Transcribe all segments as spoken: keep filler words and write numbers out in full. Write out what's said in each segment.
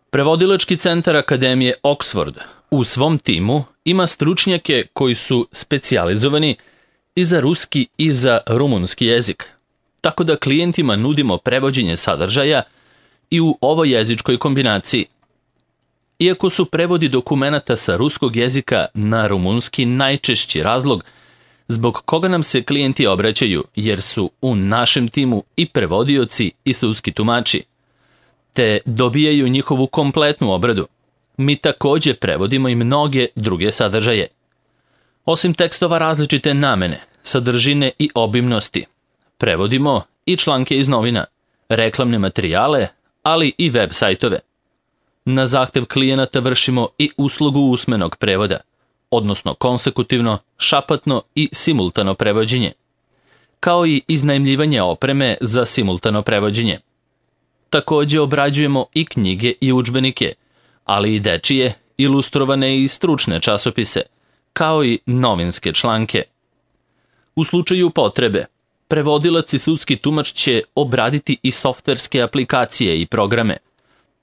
Prevodilački centar Akademije Oxford u svom timu ima stručnjake koji su specijalizovani i za ruski i za rumunski jezik, tako da klijentima nudimo prevođenje sadržaja i u ovoj jezičkoj kombinaciji. Iako su prevodi dokumenata sa ruskog jezika na rumunski najčešći razlog zbog koga nam se klijenti obraćaju, jer su u našem timu i prevodioci i sudski tumači, te dobijaju njihovu kompletnu obradu, mi također prevodimo i mnoge druge sadržaje. Osim tekstova različite namene, sadržine i obimnosti, prevodimo i članke iz novina, reklamne materijale, ali i web sajtove. Na zahtev klijenata vršimo i uslugu usmenog prevoda, odnosno konsekutivno, šapatno i simultano prevođenje, kao i iznajmljivanje opreme za simultano prevođenje. Također obrađujemo i knjige i udžbenike, ali i dečije, ilustrovane i stručne časopise, kao i novinske članke. U slučaju potrebe, prevodilac i sudski tumač će obraditi i softverske aplikacije i programe,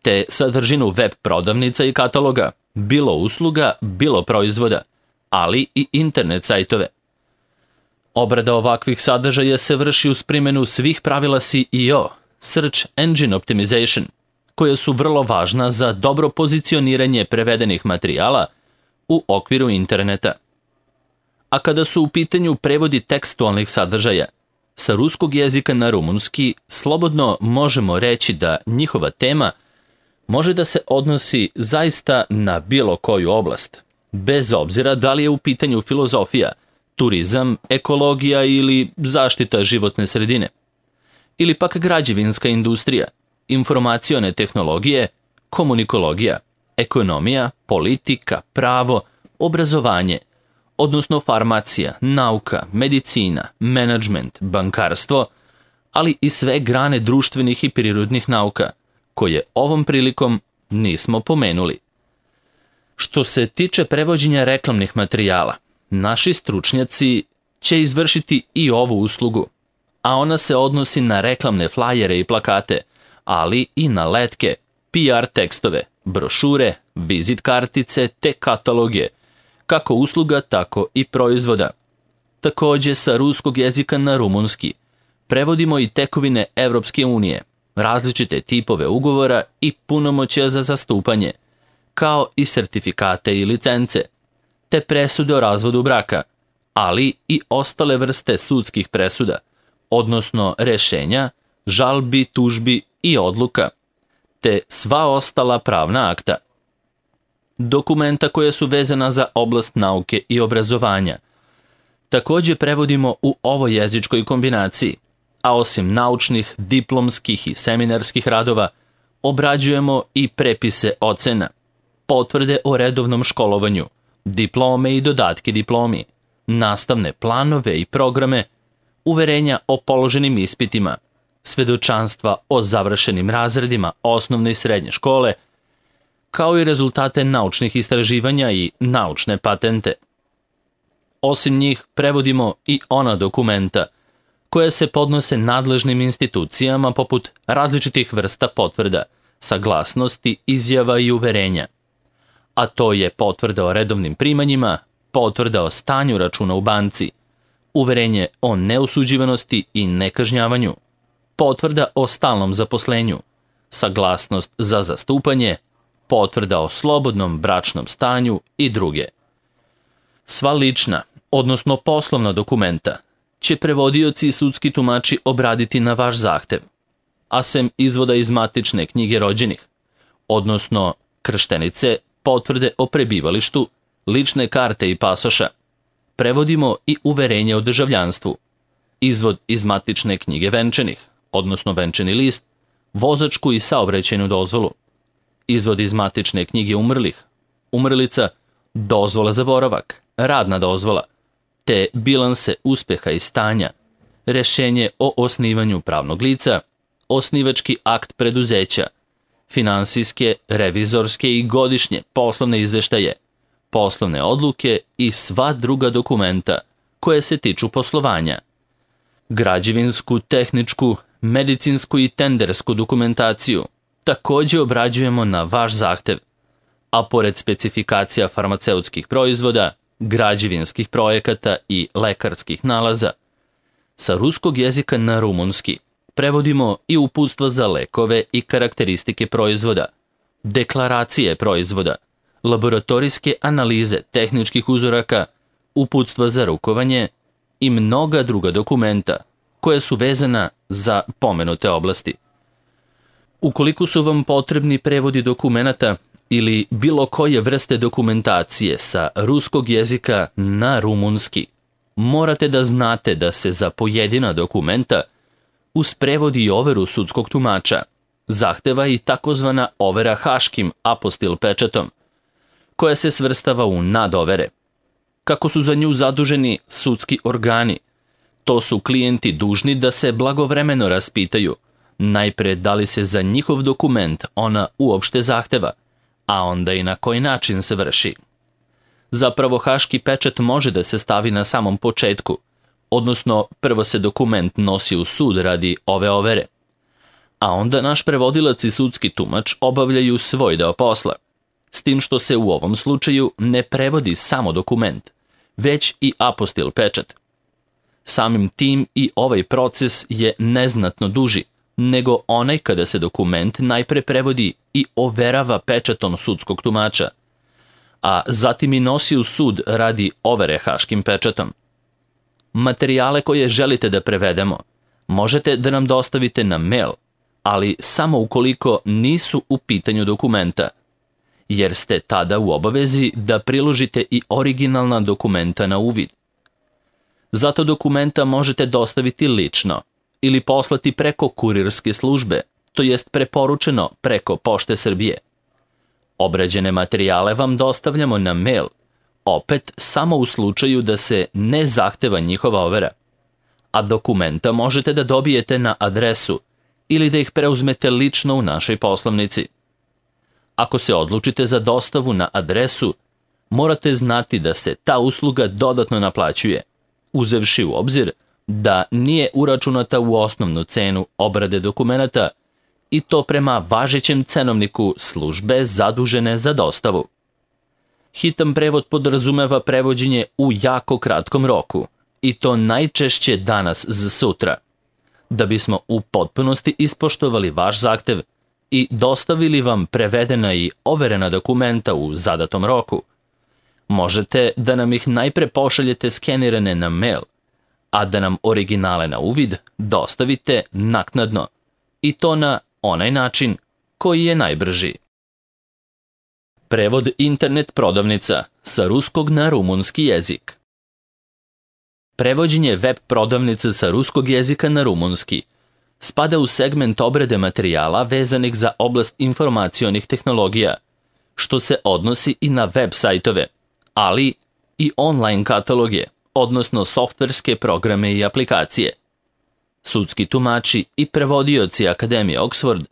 te sadržinu web prodavnica i kataloga, bilo usluga, bilo proizvoda, ali i internet sajtove. Obrada ovakvih sadržaja se vrši uz primjenu svih pravila S E O, Search Engine Optimization, koje su vrlo važna za dobro pozicioniranje prevedenih materijala u okviru interneta. A kada su u pitanju prevodi tekstualnih sadržaja, sa ruskog jezika na rumunski, slobodno možemo reći da njihova tema može da se odnosi zaista na bilo koju oblast, bez obzira da li je u pitanju filozofija, turizam, ekologija ili zaštita životne sredine, ili pak građevinska industrija, informacione tehnologije, komunikologija, ekonomija, politika, pravo, obrazovanje, odnosno farmacija, nauka, medicina, menadžment, bankarstvo, ali i sve grane društvenih i prirodnih nauka, koje ovom prilikom nismo pomenuli. Što se tiče prevođenja reklamnih materijala, naši stručnjaci će izvršiti i ovu uslugu, a ona se odnosi na reklamne flajere i plakate, ali i na letke, P R tekstove, brošure, vizit kartice te kataloge, kako usluga, tako i proizvoda. Također sa ruskog jezika na rumunski prevodimo i tekovine Evropske unije, različite tipove ugovora i punomoćja za zastupanje, kao i sertifikate i licence, te presude o razvodu braka, ali i ostale vrste sudskih presuda, odnosno rešenja, žalbi, tužbi i odluka, te sva ostala pravna akta. Dokumenta koja su vezana za oblast nauke i obrazovanja također prevodimo u ovoj jezičkoj kombinaciji, a osim naučnih, diplomskih i seminarskih radova, obrađujemo i prepise ocena, potvrde o redovnom školovanju, diplome i dodatke diplomi, nastavne planove i programe, uverenja o položenim ispitima, svedočanstva o završenim razredima osnovne i srednje škole, kao i rezultate naučnih istraživanja i naučne patente. Osim njih prevodimo i ona dokumenta koje se podnose nadležnim institucijama poput različitih vrsta potvrda, saglasnosti, izjava i uverenja. A to je potvrda o redovnim primanjima, potvrda o stanju računa u banci, uverenje o neusuđivanosti i nekažnjavanju, potvrda o stalnom zaposlenju, saglasnost za zastupanje, potvrda o slobodnom bračnom stanju i druge. Sva lična, odnosno poslovna dokumenta, će prevodioci i sudski tumači obraditi na vaš zahtev, a sem izvoda iz matične knjige rođenih, odnosno krštenice, potvrde o prebivalištu, lične karte i pasoša, prevodimo i uverenje o državljanstvu, izvod iz matične knjige venčanih, odnosno venčani list, vozačku i saobraćajnu dozvolu, izvod iz matične knjige umrlih, umrlica, dozvola za boravak, radna dozvola, te bilanse uspeha i stanja, rešenje o osnivanju pravnog lica, osnivački akt preduzeća, finansijske, revizorske i godišnje poslovne izveštaje, poslovne odluke i sva druga dokumenta koje se tiču poslovanja, građevinsku, tehničku, medicinsku i tendersku dokumentaciju, takođe obrađujemo na vaš zahtev, a pored specifikacija farmaceutskih proizvoda, građevinskih projekata i lekarskih nalaza, sa ruskog jezika na rumunski prevodimo i uputstva za lekove i karakteristike proizvoda, deklaracije proizvoda, laboratorijske analize tehničkih uzoraka, uputstva za rukovanje i mnoga druga dokumenta koja su vezana za pomenute oblasti. Ukoliko su vam potrebni prevodi dokumenata ili bilo koje vrste dokumentacije sa ruskog jezika na rumunski, morate da znate da se za pojedina dokumenta uz prevod i overu sudskog tumača zahteva i takozvana overa haškim apostil pečatom, koja se svrstava u nadovere. Kako su za nju zaduženi sudski organi, to su klijenti dužni da se blagovremeno raspitaju, najpre da li se za njihov dokument ona uopšte zahteva, a onda i na koji način se vrši. Zapravo, haški pečat može da se stavi na samom početku, odnosno prvo se dokument nosi u sud radi ove overe, a onda naš prevodilac i sudski tumač obavljaju svoj deo posla, s tim što se u ovom slučaju ne prevodi samo dokument, već i apostil pečat. Samim tim i ovaj proces je neznatno duži nego onaj kada se dokument najpre prevodi i overava pečatom sudskog tumača, a zatim i nosi u sud radi overe haškim pečatom. Materijale koje želite da prevedemo možete da nam dostavite na mail, ali samo ukoliko nisu u pitanju dokumenta, jer ste tada u obavezi da priložite i originalna dokumenta na uvid. Zato dokumenta možete dostaviti lično ili poslati preko kurirske službe, to jest preporučeno preko Pošte Srbije. Obrađene materijale vam dostavljamo na mail, opet samo u slučaju da se ne zahteva njihova overa, a dokumenta možete da dobijete na adresu ili da ih preuzmete lično u našoj poslovnici. Ako se odlučite za dostavu na adresu, morate znati da se ta usluga dodatno naplaćuje, uzevši u obzir da nije uračunata u osnovnu cenu obrade dokumenata i to prema važećem cenovniku službe zadužene za dostavu. Hitan prevod podrazumeva prevođenje u jako kratkom roku, i to najčešće danas za sutra, da bismo u potpunosti ispoštovali vaš zahtev i dostavili vam prevedena i overena dokumenta u zadatom roku. Možete da nam ih najpre pošaljete skenirane na mail, a da nam originale na uvid dostavite naknadno, i to na onaj način koji je najbrži. Prevod internet prodavnica sa ruskog na rumunski jezik. Prevođenje web prodavnice sa ruskog jezika na rumunski spada u segment obrade materijala vezanih za oblast informacionih tehnologija, što se odnosi i na web sajtove, ali i online kataloge, odnosno softverske programe i aplikacije. Sudski tumači i prevodioci Akademije Oxford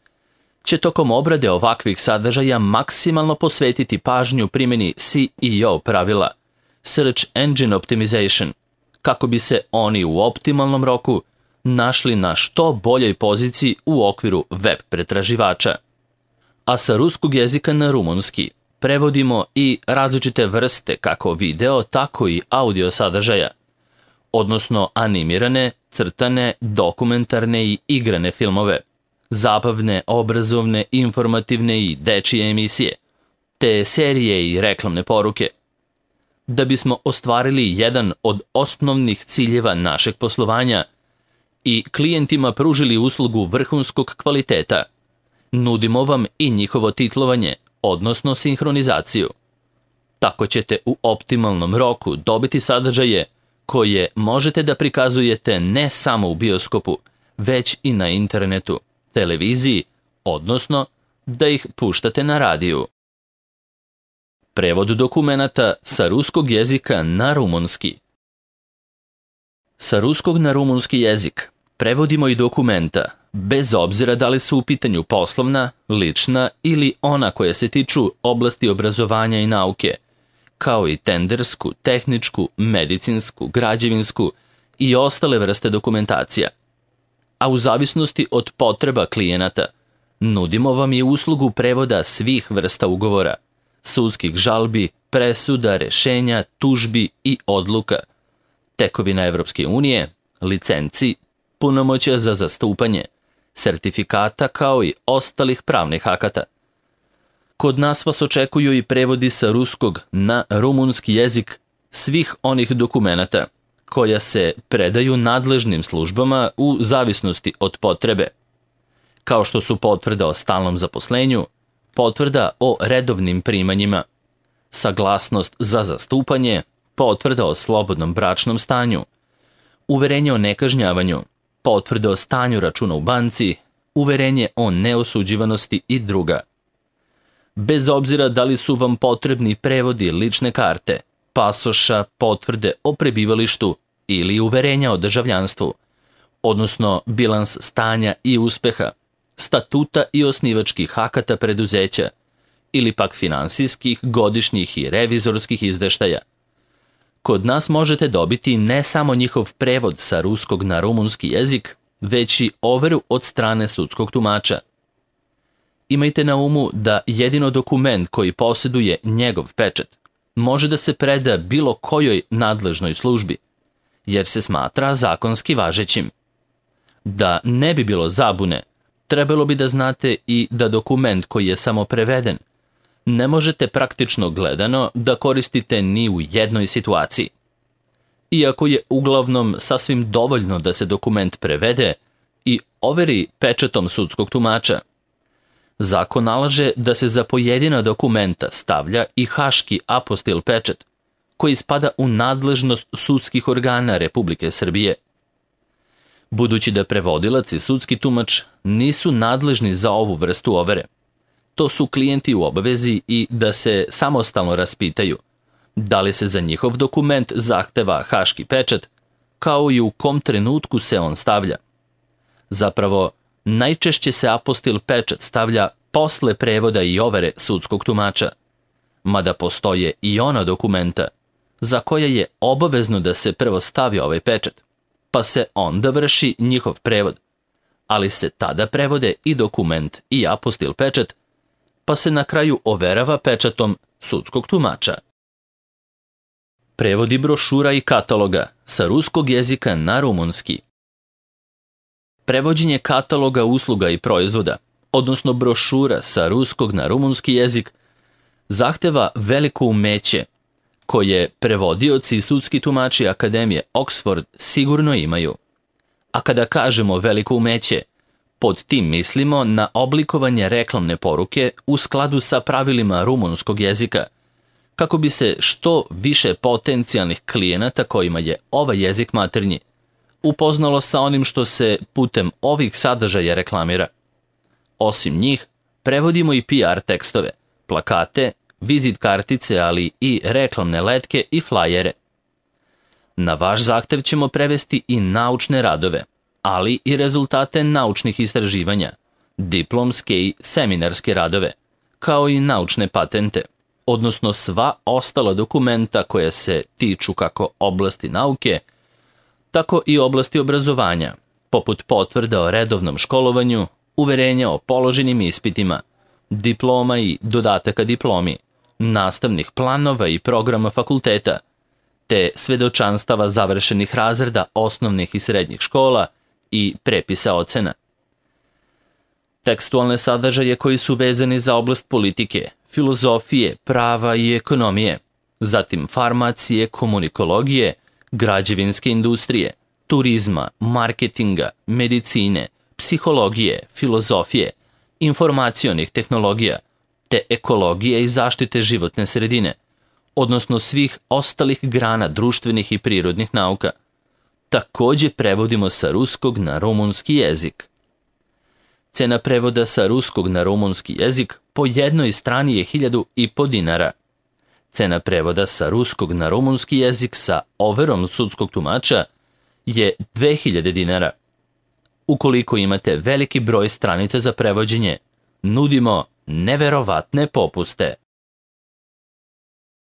će tokom obrade ovakvih sadržaja maksimalno posvetiti pažnju primjeni C E O pravila, Search Engine Optimization, kako bi se oni u optimalnom roku našli na što boljoj poziciji u okviru web pretraživača. A sa ruskog jezika na rumunski prevodimo i različite vrste kako video, tako i audio sadržaja, odnosno animirane, crtane, dokumentarne i igrane filmove, zabavne, obrazovne, informativne i dečije emisije, te serije i reklamne poruke. Da bismo ostvarili jedan od osnovnih ciljeva našeg poslovanja i klijentima pružili uslugu vrhunskog kvaliteta, nudimo vam i njihovo titlovanje, odnosno sinhronizaciju. Tako ćete u optimalnom roku dobiti sadržaje koje možete da prikazujete ne samo u bioskopu, već i na internetu, televiziji, odnosno da ih puštate na radiju. Prevod dokumenata sa ruskog jezika na rumunski. Sa ruskog na rumunski jezik prevodimo i dokumenta, bez obzira da li su u pitanju poslovna, lična ili ona koja se tiču oblasti obrazovanja i nauke, kao i tendersku, tehničku, medicinsku, građevinsku i ostale vrste dokumentacija. A u zavisnosti od potreba klijenata, Nudimo vam i uslugu prevoda svih vrsta ugovora, sudskih žalbi, presuda, rešenja, tužbi i odluka, tekovina Evropske unije, licenci, punomoćja za zastupanje, sertifikata kao i ostalih pravnih akata. Kod nas vas očekuju i prevodi sa ruskog na rumunski jezik svih onih dokumenata koja se predaju nadležnim službama u zavisnosti od potrebe, kao što su potvrda o stalnom zaposlenju, potvrda o redovnim primanjima, saglasnost za zastupanje, potvrda o slobodnom bračnom stanju, uverenje o nekažnjavanju, potvrda o stanju računa u banci, uverenje o neosuđivanosti i druga. Bez obzira da li su vam potrebni prevodi lične karte, pasoša, potvrde o prebivalištu ili uverenja o državljanstvu, odnosno bilans stanja i uspeha, statuta i osnivačkih akata preduzeća, ili pak finansijskih, godišnjih i revizorskih izveštaja. Kod nas možete dobiti ne samo njihov prevod sa ruskog na rumunski jezik, već i overu od strane sudskog tumača. Imajte na umu da jedino dokument koji posjeduje njegov pečat može da se preda bilo kojoj nadležnoj službi, jer se smatra zakonski važećim. Da ne bi bilo zabune, trebalo bi da znate i da dokument koji je samo preveden ne možete praktično gledano da koristite ni u jednoj situaciji. Iako je uglavnom sasvim dovoljno da se dokument prevede i overi pečatom sudskog tumača, zakon nalaže da se za pojedina dokumenta stavlja i haški apostil pečat, koji spada u nadležnost sudskih organa Republike Srbije. Budući da prevodilac i sudski tumač nisu nadležni za ovu vrstu overe, to su klijenti u obavezi i da se samostalno raspitaju da li se za njihov dokument zahteva haški pečat, kao i u kom trenutku se on stavlja. Zapravo, najčešće se apostil pečat stavlja posle prevoda i overe sudskog tumača, mada postoje i ona dokumenta za koje je obavezno da se prvo stavi ovaj pečat, pa se onda vrši njihov prevod, ali se tada prevode i dokument i apostil pečat, pa se na kraju overava pečatom sudskog tumača. Prevodi brošura i kataloga sa ruskog jezika na rumunski. Prevođenje kataloga usluga i proizvoda, odnosno brošura sa ruskog na rumunski jezik, zahteva veliko umeće koje prevodioci i sudski tumači Akademije Oxford sigurno imaju. A kada kažemo veliko umeće, pod tim mislimo na oblikovanje reklamne poruke u skladu sa pravilima rumunskog jezika, kako bi se što više potencijalnih klijenata kojima je ovaj jezik maternji upoznalo sa onim što se putem ovih sadržaja reklamira. Osim njih, prevodimo i P R tekstove, plakate, vizit kartice, ali i reklamne letke i flajere. Na vaš zahtev ćemo prevesti i naučne radove, ali i rezultate naučnih istraživanja, diplomske i seminarske radove, kao i naučne patente, odnosno sva ostala dokumenta koja se tiču kako oblasti nauke, tako i oblasti obrazovanja, poput potvrda o redovnom školovanju, uverenja o položenim ispitima, diploma i dodataka diplomi, nastavnih planova i programa fakulteta, te svedočanstava završenih razreda osnovnih i srednjih škola i prepisa ocena. Tekstualne sadržaje koji su vezani za oblast politike, filozofije, prava i ekonomije, zatim farmacije, komunikologije, građevinske industrije, turizma, marketinga, medicine, psihologije, filozofije, informacionih tehnologija, te ekologije i zaštite životne sredine, odnosno svih ostalih grana društvenih i prirodnih nauka. Takođe prevodimo sa ruskog na rumunski jezik. Cena prevoda sa ruskog na rumunski jezik po jednoj strani je hiljadu i po dinara. Cena prevoda sa ruskog na rumunski jezik sa overom sudskog tumača je dve hiljade dinara. Ukoliko imate veliki broj stranica za prevođenje, nudimo neverovatne popuste.